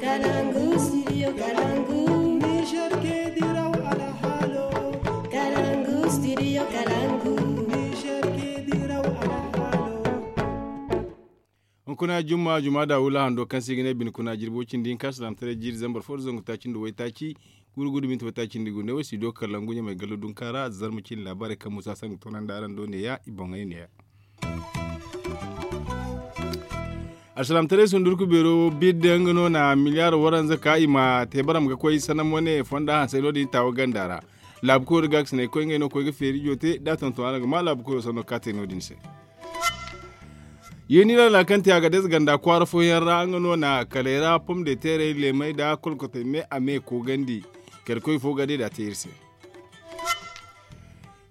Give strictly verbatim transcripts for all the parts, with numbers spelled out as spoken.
Kalangu studio Kalangu. Niger ke diraw alhalo. Kalangu studio Kalangu. Niger ke diraw alhalo. Hunkuna jumma juma da wula hando kaŋ se i ga ne bine kuna jirbo cindi hinka salaamtaray jiiri zambar fo da zangu taaci nda waytaaci. Guuru guuru minti waytaaci nda gu ne wo studio Kalangu ɲamay gallo dunka ra zarma cindi laabaarey kaŋ musa sangu toonandi araŋ do neeya i boŋey neeya. Alsalaamtaray sundurku beero bidda nga no na miliyaar waranza ka i ma te baram ga koy sanam wane fonda hansay no- din taawa ganda ra. Laabu koyo da gaakasinay koy ngey no koy ga feeri ijo te da tonton araŋ ga ma laabu koyo sanno ka te no- din se. Yeeni laala kaŋ te a ga deza ganda kwaara fooyaŋ ra nga no na kalay ra pom de teeray leemay da kolkotay me a me koogandi. Kala koy fo ga day da a te iri se.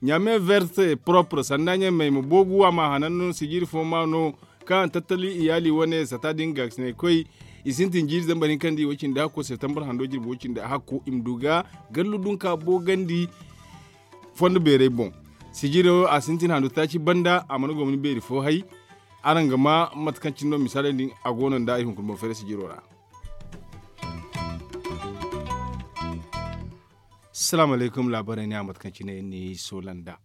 Ɲame verte propre sanda ɲamey ma boogu a ma hanan no sijiri fo ma no kaŋ tattali iyaali wane sata din gaakasinay koy. I sintin jiiri zambar hinka nda i wo cindi hakko septembre hando jirbi wo cindi hakko i ma du ga gallu dunka boogandi. Fondo beerey boŋ sijiro a sintin hando taaci banda a mana gomni beeri fo hay. Araŋ ga ma mate kaŋ cine no misaaley din a go no nda ay hunkuna boŋ fere sijiro ra. Salaamu alaykum laabaarey ne a mate kaŋ cine ni soola nda.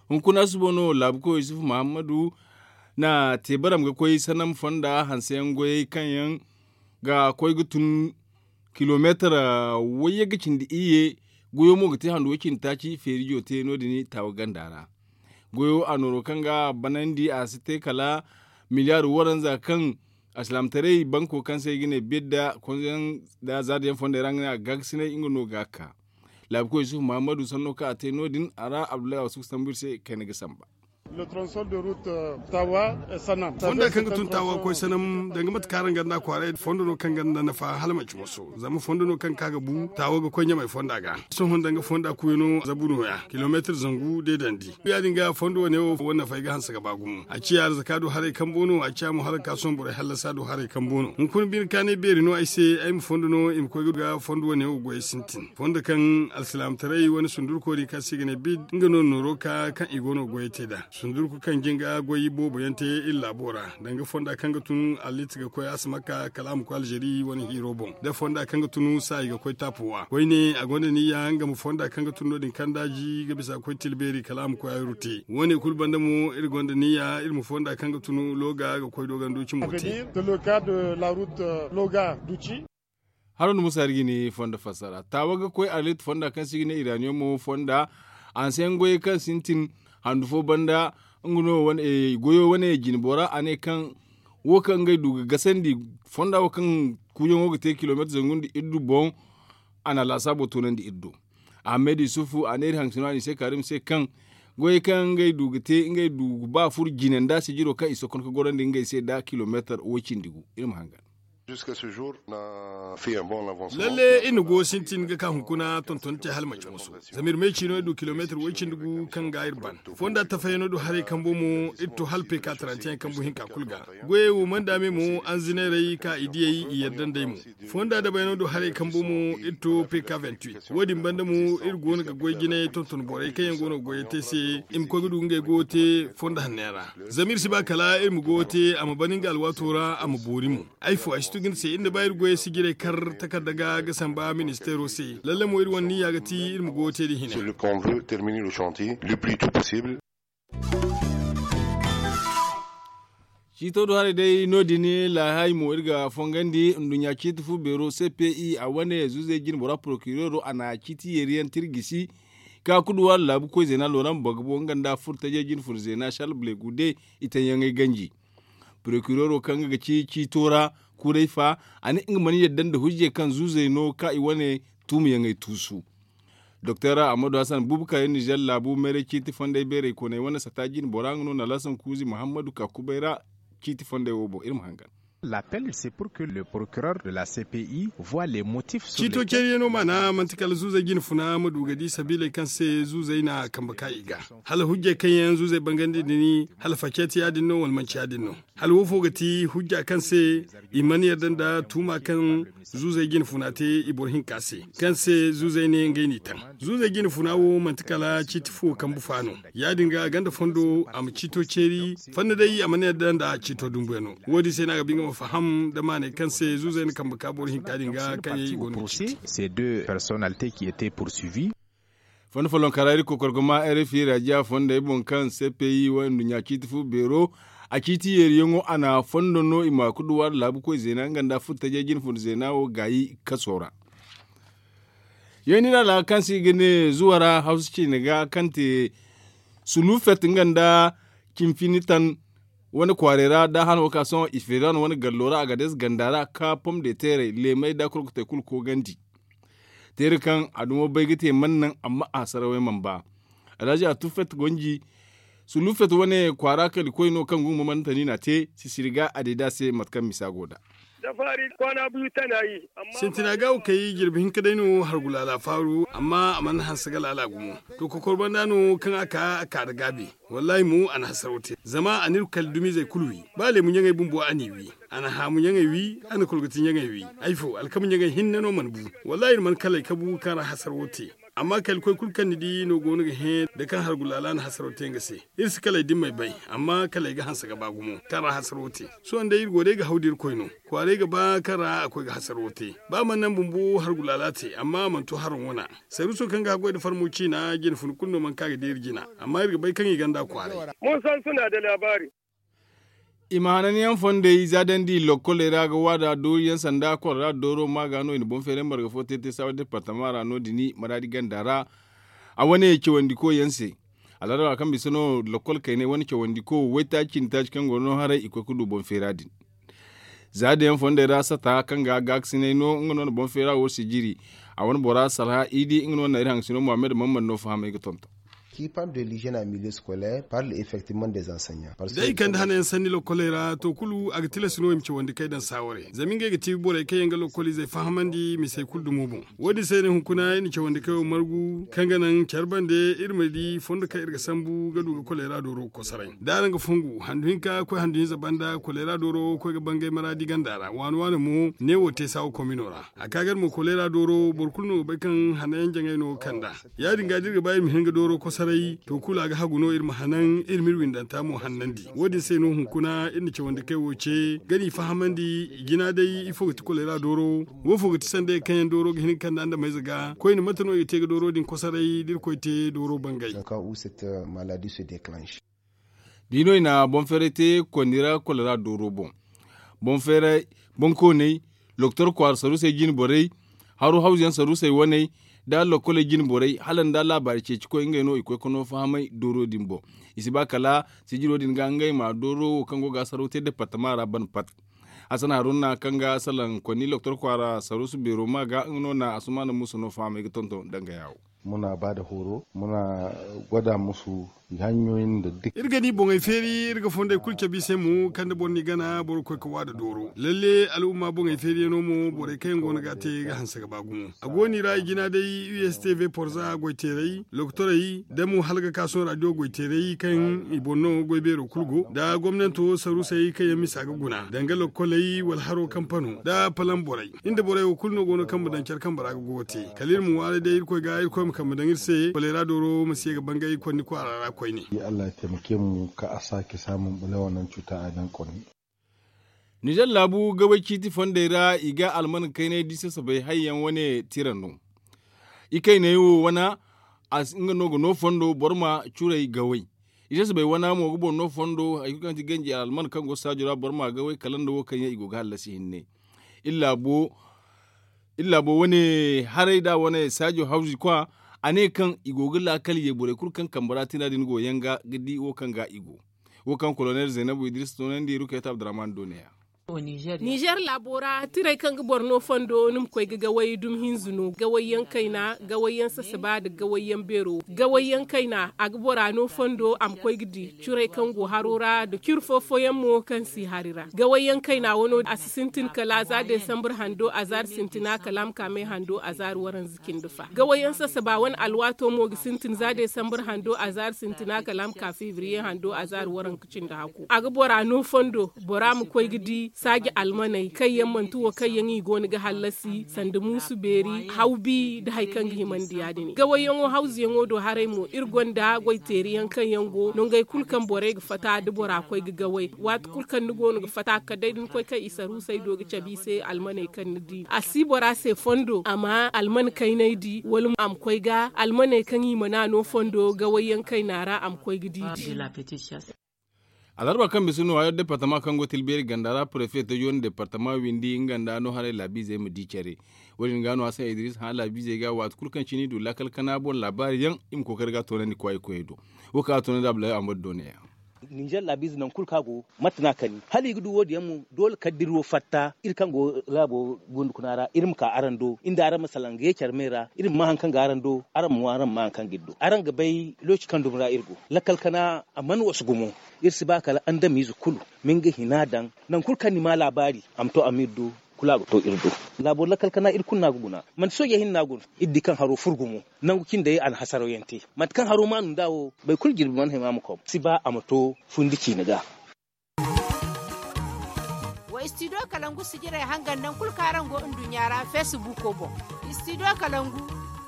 Hunkuna suba no laabu koy yusufu muhammadu na te baram ga koy sanam fonda hanseyaŋ goyey kaŋ yaŋ ga koy ga tun kilomeetar wayye ga cindi iyye. Goyo mo ga te handu way cindi taaci feerijo te no- din taawa ganda ra. Goyo a nooro kaŋ ga banandi a si te kala miliyaar waranza kaŋ alsilaamataray banko kaŋ se i ga ne bidda konzoyaŋ da zaadayaŋ fondey ra nga ne a ga gaakasinay nga no ga ka. Laabu koy yusufu muhammadu sanno kaŋ a te no- din a ra abdullahi a wasu ga sambu iri se kayna ga samba. Fonda kaŋ ga tun taawa ga koy sanam danga mate kaŋ araŋ ganda kwaaray fondo no kaŋ ganda nafa hala manci moso zama fondo no kaŋ ka ga bu taawa ga koy ɲamay fonda ga. Sohõ danga fonda kuuya no zabu nooya kilomeetar zangu deedandi. Ya- din ga fondo wane wo wane nafa ay ga hanse ga ba gumo a ciya arzaka do haray kambo no a ciya mo hala ga ka sohõ borey hallasa do haray kambo no hunkuna bine kaanay beeri no ay se ay ma fondo no i ma koy ga fondo wane wo goyey sintin fondo kaŋ alsilaamataray wane sundurko din kaŋ se i ga ne bid nga no nooro ka kaŋ i go no goyey te nd'a. Sundurku kaŋ jinga goy boobo yaŋ te iri laabo ra danga fonda kaŋ ga tun allit ga koy a si ma ka kala a ma koy alzeri wane hiiro boŋ da fonda kaŋ ga tun saayi ga koy taapuwa koyne a gonda niyya nga ma fonda kaŋ ga tun no- din kaŋ daaji ga bisa ga koy tilbeeri kala a ma koy hayru te wo- ne kulu banda mo iri gonda niyya iri ma fonda kaŋ ga tun loga ga koy doganduci mo te. Haro nda musa iri ga ni fondo fassara taawa ga koy arlit fonda kaŋ se i ga ne iraniyomo fonda hanseyaŋ goyey kaŋ sintin handu fo banda. Nga no goyo wane jine bora a ne kaŋ wo kaŋ ngey du ga gasandi fonda wo kaŋ kuuyaŋo ga te kilomeetar zangu nda iddu boŋ. A na laasaabo toonandi iri do. Ahmed yusufu a ne iri hangasino a ne i se karim se kaŋ goyey kaŋ ngey du ga te ngey du ga ba furo jine nda sijiro kaŋ i sokkon ga gorandi ngey se nda kilomeetar way cindi gu iri ma hangan. Lalle iri na go sintin ga ka hunkuna tonton te hala manci musu zama iri me ciino iri du kilomeetar way cindi gu kaŋ ga iri ban fonda tafayano do haray kambo mo iri to hala peka tarantiyaŋ kambu hinka kulu ga. Goyey wo manda me mo anzineerey ka i diyey i yadda nd'ey mo fonda dabayano do haray kambo mo iri to peka vingt-huit wo- din banda mo iri go no ga goy jinay tonton borey kaŋ yaŋ go no ga goyey te se i ma koy ga du ngey goyo te fondo hanno yaŋ ra. Zama iri si ba kala iri ma goyo te a ma ban nga alwaato ra a ma boori mo. Ay fo ay si tu ga ni se iri na ba iri goyey sijirey kar takarda ga ga samba ministeero se lalle mo iri wane niyya ga ti iri ma goyo te din hina. Ciito do haray day no- din laahay mo iri ga fongandi nduɲɲa ciiti fu beero cpi a wane zuuzey jine bora porokireero a na ciiti yeeriyaŋ tirgisi ka kuduwa laabu koy zeena looran bagbo nga nda furtajey jine fun zeena sharle blegude i taŋyaŋey ganji. Porokireero kaŋ nga ga ci ciito ra kuuray fa a ne nga mana yadda nda hujjey kaŋ zuuzey no ka i wane tuumayaŋey tuusu. Doktor ahmadu hassan bubakar nizer laabu meeray ciiti fondey beerey kooney wane sata jine bora nga no na lasan kuuzi muhammadu ka kubay ra. Ciiti fondey wo boŋ iri ma hangan. L'appel c'est pour que le procureur de la cpi voit les motifs sur ciito lesquels ceeriyaŋo maana manti kala zuuzey jine funa ma du ga di sabiiley kaŋ se zuuzey na kambe ka i ga hala hujjey kaŋ yaŋ zuuzey bangandi din hala faceeti ya- din no wala manci ya- din no. Hala wo fo ga ti hujja kaŋ se i mana yadda nda tuuma kaŋ zuuzey jine funa te i boro hinka se kaŋ se zuuzey ne ngey n'i taŋ. Zuuzey jine funa wo manti kala ciiti fo kambu fa no. Ya- din ga ganda fondo a ma ciito ceeri fanna day a mana yadda nda ciito dumbuyaŋo wo- din se no a ga ba i ga Faham da maanay kaŋ se zuuzey na kambe ka boro hinka din ga kaŋ yaŋ i go no ga ciiti. Ces deux personnalités qui étaient poursuivies. Fondo follonka ra iri kokorgoma r f i rajiya fondey boŋ kaŋ c p i wo nduɲɲa ciiti fu beero a ciiti yeeriyaŋo a na fondo no i ma kuduwa da laabu koy zeena nga nda furtajey jine fun zeena wo gaayi kaso ra. Yeeni ra laaka kaŋ se i ga ne zuwa ra hawsa ciine ga kaŋ te sulufet nga nda cimfinitan wane kwaarey ra da hano ka sohõ ifeeran wane gallo ra a ga dees ganda ra ka pom de teerey leemey da kolkotey kulu koogandi. Teeri kaŋ a dumo bay ga te mana naŋ amma a sarawey mana ba. Alhaji a tufet gonji sulufet wane kwaara kala koy no kaŋ gungu mamantani na te sisiri ga a day da se mate kaŋ misa go da. Sintina ga wo kay jirbi hinka day no hargulaala faaru amma a mana hanse ga laala gumo. To kokor banda no kaŋ a ka a ka da gaabi. Wallahi mo a na hasaro te zama a n'iri kala dumizey kulu wi. Ba leemu ɲaŋey bumbo a n'i wi. A na haamu ɲaŋey wi. A na kolgati ɲaŋey wi. Ay fo alkama ɲaŋey hinne no mana bu. Wallahi iri mana kalay kabu kaŋ ra hasaro te. Amma kala koy kulu kaŋ ni di no go no ga hẽ da kaŋ hargulaala na hasaro te nga se. Iri si kalay dimmey bay amma kalay ga hanse ga ba gumo kaŋ ra hasaro te. Sohõ day iri go day ga haw da irkoy no. Kwaaray ga ba kaŋ ra a koy ga hasaro te. Ba mana naŋ bumbo hargulaala te amma a mana to haro wana. Saruuso kaŋ ga haggoy nda farmo ciina jine fun kulu no mana ka ga deeri jina. Amma iri ga bay kaŋ i ganda kwaaray. I ma hananyaŋ fondey zaadandi lokkoley ra ga waada dooriyaŋ sanda kolera dooro ma ga no i na boŋ feeray marga fo te te saawa departama ra no- din maraadi ganda ra. A wane cawandiko yaŋ se. Alhadara kaŋ bisa no lokkol kaynay wane cawandiko waytaaci cindi taaci kaŋ go no haray i koy ga du boŋ feera din. Za da yaŋ fondey ra sata kaŋ ga gaakasinay no nga no na boŋ feera wo sijiri. A wane bora salha i di nga no na iri haŋgasino muhammad mamman no fahamay ga tonton. Qui parle de l'hygiène en milieu scolaire parle effectivement des enseignants. Day kande hanayaŋ sanni lokkoley ra to kulu a ga tilas no i ma cawandi kay daŋ saaware zama ngey ga ti borey kaŋ yaŋ ga lokkolizey fahamandi misey kulu dumo boŋ. Wo- din se ne hunkuna iri na cawandi kay wo margu kaŋ ga naŋ care bande iri ma di fondo kaŋ iri ga sambu ga du ga kolera dooro ga kosoray da araŋ ga fongu handu hinka koy handu hinza banda kolera dooro koy ga bangay maraadi ganda ra waani waani mo ne wo te saawa komino ra. A ka ga iri mo kolera dooro boro kulu no ga bay kaŋ hanayaŋ jaŋay no ga kand'a. Ya- din ga da iri ga ba iri ma hin ga dooro kosoray to kulu a ga hagu no iri ma hanaŋ iri ma iri windanta mo hannandi wo- din se no hunkuna iri na cawandi kay wo ce ga n'i fahamandi. Jina day ifo ga ti kolera dooro. Wo- fo ga ti sanday kaŋ yaŋ dooro ga hin ga kand'a nda mayze ga koyne mate no i ga te ga dooro din kosoray da irkoy te dooro bangay. Da i no i na boŋ feeray te kondi ra kolera dooro boŋ. Boŋ feeray boŋ koonay loktor kwaara saruusey jine borey haro hawzuyaŋ saruusey waney da lokkoley jine borey hala nda laabaari ceeci koy ngey no i koy ga no fahamay dooro din boŋ. I si ba kala sijiro din ga ngey ma dooro wo kaŋ go ga hasaro te departama ra ban pat. Hasan haruna kaŋ ga salaŋ konni loktor kwaara saruusu beero ma ga nga no na asumaana muusa no fahamay ga tonton danga yaawo. Muna ba da horo muna gwada musu hanyoyin da duk iri ga ni boŋey feeri iri ga fondey kulu cabe i se mo kaŋ da boro n'i gana boro ga koy ga waada dooro lalle al'umma boŋey feeriyaŋo mo borey kaŋ yaŋ go no ga a te ga hanse ga ba gumo. A go no i ra i jina day u s t v porza goyteerey lokotorey da mo hala ga ka sohõ radio goyteerey kaŋ i boŋ no goy beero kulu go nda gomnanto saruusey kaŋ yaŋ misa ga guna danga lokoley wala haro kampano nda palam borey. Iri nda borey wo kulu no go no kaŋ ma daŋ care kambe ra ga goyo te kala iri ma ŋwaaray day irkoy ga irkoy ma kambe daŋ iri se koleera dooro ma si ye ga bangay konni kwaara ra koyne. Allah ya taimake mu ka a sake samun bulawar nan cuta a nan konni. Nizer laabu gabay ciiti fondey ra i ga alman kaynay di sasabay hayyaŋ wane tira no. Ikayney wo wana nga no ga no fondo boro ma curay gaway. I sasabay wana mo ga boro no fondo hari kulu kaŋ ti ganji alman kaŋ go saajo ra boro ma gaway kala nda wo kaŋ yaŋ i go ga hallasi hinne. Iri laabo wane haray da wane saajo hawzi kwa a ne kaŋ i go ga laakal ye borey kulu kaŋ kambe ra tina din go yaŋ ga ga di wo kaŋ ga i go. Wo kaŋ kolonel zaynabu idris toonandi rukayta abdurrahman do ne ya. Nizer laabo ra tiray kaŋ ga boro no fondo ni ma koy ga gaway dumi hinza no gaway yaŋ kayna gaway yaŋ sasaba nda gaway yaŋ beero gaway yaŋ kayna a ga bora no fondo a ma koy ga di curay kaŋ go haro ra nda ciri fo fooyaŋ mo kaŋ si hari ra gaway yaŋ kayna wano a si sintin kala za desambur hando a zaari sintina kala a ma ka me hando a zaari waranza cindi fa gaway yaŋ sasaba wane alwaato mo ga sintin za desambur hando a zaari sintina kala a ma ka fevriye hando a zaari waranka cindi haku a ga bora no fondo bora ma koy ga di. Saaji almaney kaŋ yaŋ manti wo kaŋ yaŋ i go no ga hallasi sanda muusu beeri hawbi nda hari kaŋ ga himandi ya- din gawayyaŋo hawzuyaŋo do haray mo iri gonda goyteeriyaŋ kaŋ yaŋ go nangey kulu kaŋ borey ga fatta da bora koy ga gaway waati kulu kaŋ ni go no ga fatta kala day da ni koy kaŋ i saruusey do ga cabe i se almaney kaŋ ni di a si bora se fondo amma alman kaynay di wala a ma koy ga almaney kaŋ i mana no fondo gawayyaŋ kayna ra a ma koy ga di di. Alarba kaŋ bisa no hayo departama kaŋ go tilbeeri ganda ra prefe tajo nda departama windi nga nda no haray laabiizey ma di care. Wo- din ga no hasan idris hã laabiizey ga waati kulu kaŋ cine i du laakal kana boŋ laabaari yaŋ i ma kookari ga toonandi kwaayey koyey do. Wo kaŋ a toonandi abdullahi ahmadu do ne ya. Ninzeer laabiize nangu kulu kaŋ a go mate no a kani hala i ga du wo- din yaŋ mo doole kala da iri wo fatta iri kaŋ go laabo gundu kuna ra iri ma ka araŋ do iri nda araŋ ma salaŋ ga ye care me ra iri ma ma hari kaŋ go araŋ do araŋ ma ŋwa araŋ ma ma hari kaŋ ga iri do araŋ ga bay looci kaŋ dumi ra iri go. Lakkal kana a mana wasu gumo. Iri si ba kala andamiize kulu ma nga hina daŋ nangu kulu kaŋ ni ma laabaari a ma to a ma iri do. Kulu a ga to iri do. Laabo lakkal kana iri kulu no a ga guna manti sooje hinne no a guna. Iri di kaŋ haro furo gumo nangu cindey a na hasaraw yaŋ te. Mate kaŋ haro maanu nd'a wo boro kulu jirbi mana hima ma kom si ba a ma to fundi ciine ga. Wa istidiyo kalangu sijirey hangan nangu kulu kaŋ araŋ go nduɲɲa ra feesibuuko boŋ. Istidiyo kalangu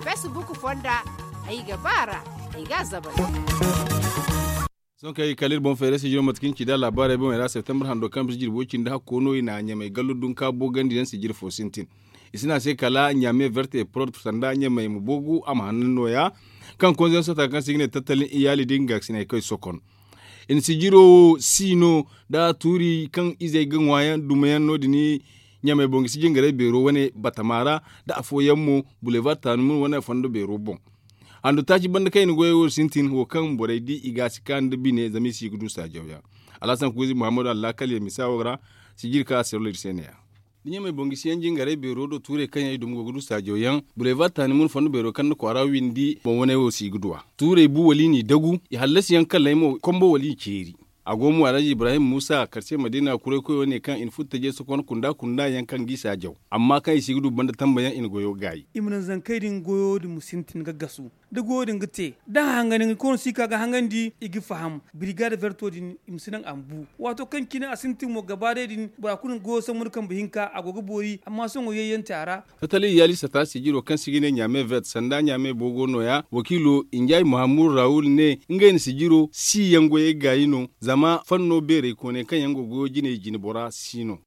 feesibuuko fonda ay ga ba a ra. Ay ga a zabari. Sohõ kaŋ ay ga kala iri boŋ feeray sijiro mate kaŋ ni ci nd'a laabaarey boŋey ra septembre hando kaŋ bisa jirbi way cindi hakko no i na ɲamey gallo dunka boogandi yaŋ sijiri fo sintin. I si ne a se kala ɲame verte prod sanda ɲamey ma boogu a ma hanna nooya. Kaŋ konze yaŋ sota kaŋ se i ga ne tattalin iyaali da i ga gaasiney kaŋ i sokon. I na sijiro wo si no da tuuri kaŋ izey ga ŋwa yaŋ duma yaŋ no- din. Ɲamey boŋ ga si jingaray beero wane batama ra da afooyaŋ mo bulevar taani mun wane fondo beero boŋ. Handu taaci banda kaŋ i na goyey wo sintin wo kaŋ borey di i ga a si ka nda bine zama i si ga du saajaw yaŋ. Alhasan kuuzi muhammadu allaakal yaŋ misa wo ra. Sijiri kaŋ a sirlo iri se ne- ya. Da ɲamey boŋ ga si yaŋ jingaray beero do tuurey kaŋ yaŋ i duma go ga du saajaw yaŋ bulevar taani mun fondo beero kaŋ nda kwaara windi boŋ wane wo si ga du a. Tuurey bu wala i n'i dagu i hallasi yaŋ kalley mo kombo wala i ceeri. A go mo alhaji ibrahim muusa karce madiina kuray koyo ne kaŋ i na furo taje sokon kunda kunda yaŋ kaŋ g'i saajaw. Amma kaŋ i si ga du banda tamba yaŋ i na goyo gaayi. I ma naŋ zankey din goyo din ma sintin ga gasu. Da goyo din ga te da hangandi nga koonu si ka ga hangandi i ga faham. Birigada verto din i ma si naŋ a ma bu. Waato kaŋ cine a sintin mo gaba day din bora kulu na goyo sambu nda kambe hinka a go ga boori amma sohõ yayyaŋ te a ra. Tattali iyaali sata sijiro kaŋ se i ga ne ɲame vert sanda ɲame boogo nooya wakiilo injay mahammud rawul ne ngey na sijiro si yaŋ goyey gaayi no. Zama fanno beerey kooney kaŋ yaŋ go goyo jiney jinbora si no.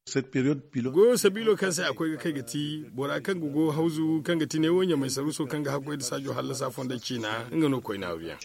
Goyo sabiilo kaŋ se a koy ga kay ga ti bora kaŋ ga goyo hawzu kaŋ ga ti neewo ɲamay saruuso kaŋ ga hakkoy nda saajo hallasa fondey ciina nga no koyne hawyaŋ.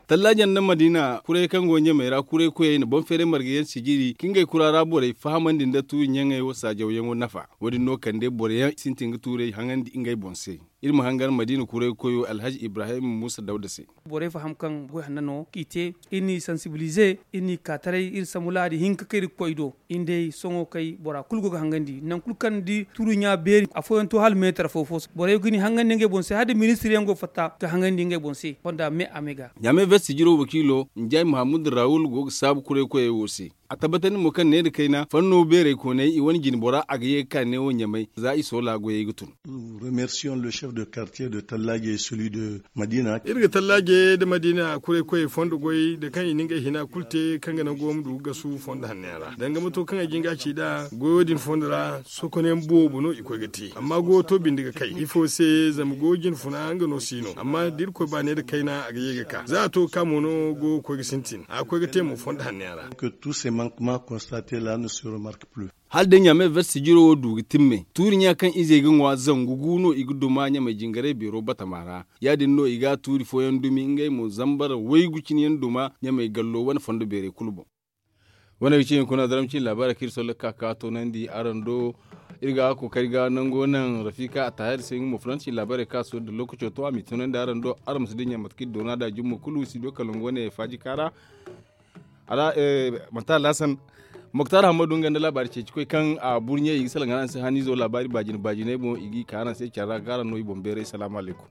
Tallaajaŋ nda madiina kuray kaŋ go ɲamay ra kuray koyey na boŋ feeray marga yaŋ sijiri ka ngey kura ra borey fahamandi nda tuuri ɲaŋey wo saajawyaŋo nafa. Wo- din no kande boro yaŋ sintin ga tuurey haŋandi ngey boŋ se. Iri ma hangan madiina kuray koyo alhaji ibrahim muusa dawda se. Borey faham kaŋ goy hanna no k'i te iri n'i sansibilize iri n'i ka taray iri sambu laadi hinka kaŋ iri ga koy do. Iri day sohõ kay bora kulu go ga hangandi nangu kulu kaŋ ni di tuuri ɲa beeri afooyaŋ to hala meetar fo fo borey ga ni hangandi ngey boŋ se hala da ministir yaŋ go fatta ga hangandi ngey boŋ se fonda me a me ga. Ɲaame vert sijiro wakiilo njay mahammud rawul go ga saabu kuray koyey wo se. A tabbatandi mo kaŋ ne nda kayna fanno beerey kooney i wane jine bora a ga ye ga ka neewo ɲamay za i soola goyey ga tun. Iri ga tallaaje nda madiina kuray koyey fondo goy nda kaŋ i na ngey hina kulu te kaŋ ga naŋ goyo ma du ga gasu fondo hanno yaŋ ra danga mato kaŋ ay jin ga a ci nd'a goyo din fondo ra sokonayaŋ boobo no i koy ga te amma goyo to binde ga kay ifo se zama goyo jine funa nga no si no amma da irkoy ba ne nda kayna a ga ye ga ka za a to ga ka mo no goyo ga koy ga sintin a ga koy ga te mo fondo hanno yaŋ ra. Hala day ɲaame vert sijiro wo du ga timme tuuri ɲa kaŋ izey ga ŋwa zangu gu no i ga duma ɲamay jingaray beero batama ra. Ya- din no i ga a tuuri fooyaŋ dumi ngey mo zambar waygu cine yaŋ duma ɲamay gallo wane fondo beerey kulu boŋ. Wane ga ci hunkuna daram cine laabaarey kaŋ iri solla ga ka ga toonandi araŋ do. Iri ga kookari ga nango naŋ rafika a taahir se nga mo fulanci laabaarey kaŋ a soori da lookaco to a m'i toonandi araŋ do araŋ ma si dinya mate kaŋ iri doona nd'a jumma kulu si do kala nango wane faaji kaara. Manti alhasan moktar hammadu nga nda laabaari ceeci koy kaŋ a burɲe i ga salaŋ araŋ se haniizo laabaari baajine baajiney boŋ i g'i ka araŋ se care ra ga araŋ no i boŋ beeray salaamu alaykum.